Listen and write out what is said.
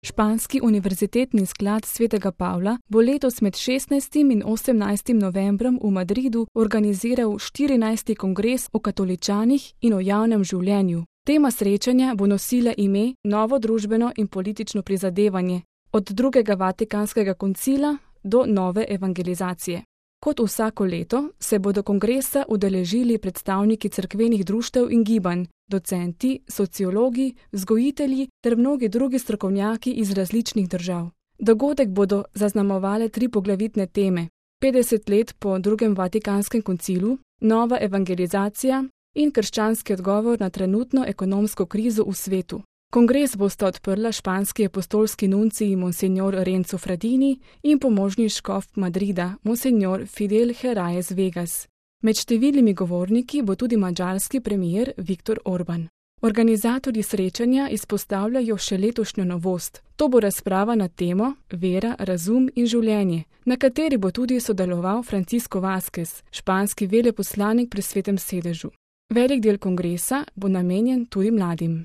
Španski univerzitetni sklad Svetega Pavla bo letos med 16. in 18. novembrom v Madridu organiziral 14. kongres o katoličanih in o javnem življenju. Tema srečanja bo nosila ime Novo družbeno in politično prizadevanje, od drugega Vatikanskega koncila do nove evangelizacije. Kot vsako leto se bodo kongresa udeležili predstavniki cerkvenih društev in gibanj, docenti, sociologi, vzgojitelji ter mnogi drugi strokovnjaki iz različnih držav. Dogodek bodo zaznamovale 3 poglavitne teme: 50 let po drugem Vatikanskem koncilu, nova evangelizacija in krščanski odgovor na trenutno ekonomsko krizo v svetu. Kongres bosta odprla španski apostolski nuncij Monsignor Renzo Fradini in pomožni škof Madrida Monsignor Fidel Herraiz Vegas. Med številnimi govorniki bo tudi madžarski premier Viktor Orban. Organizatorji srečanja izpostavljajo še letošnjo novost. To bo razprava na temo Vera, razum in življenje, na kateri bo tudi sodeloval Francisco Vázquez, španski veleposlanik pri Svetem sedežu. Velik del kongresa bo namenjen tudi mladim.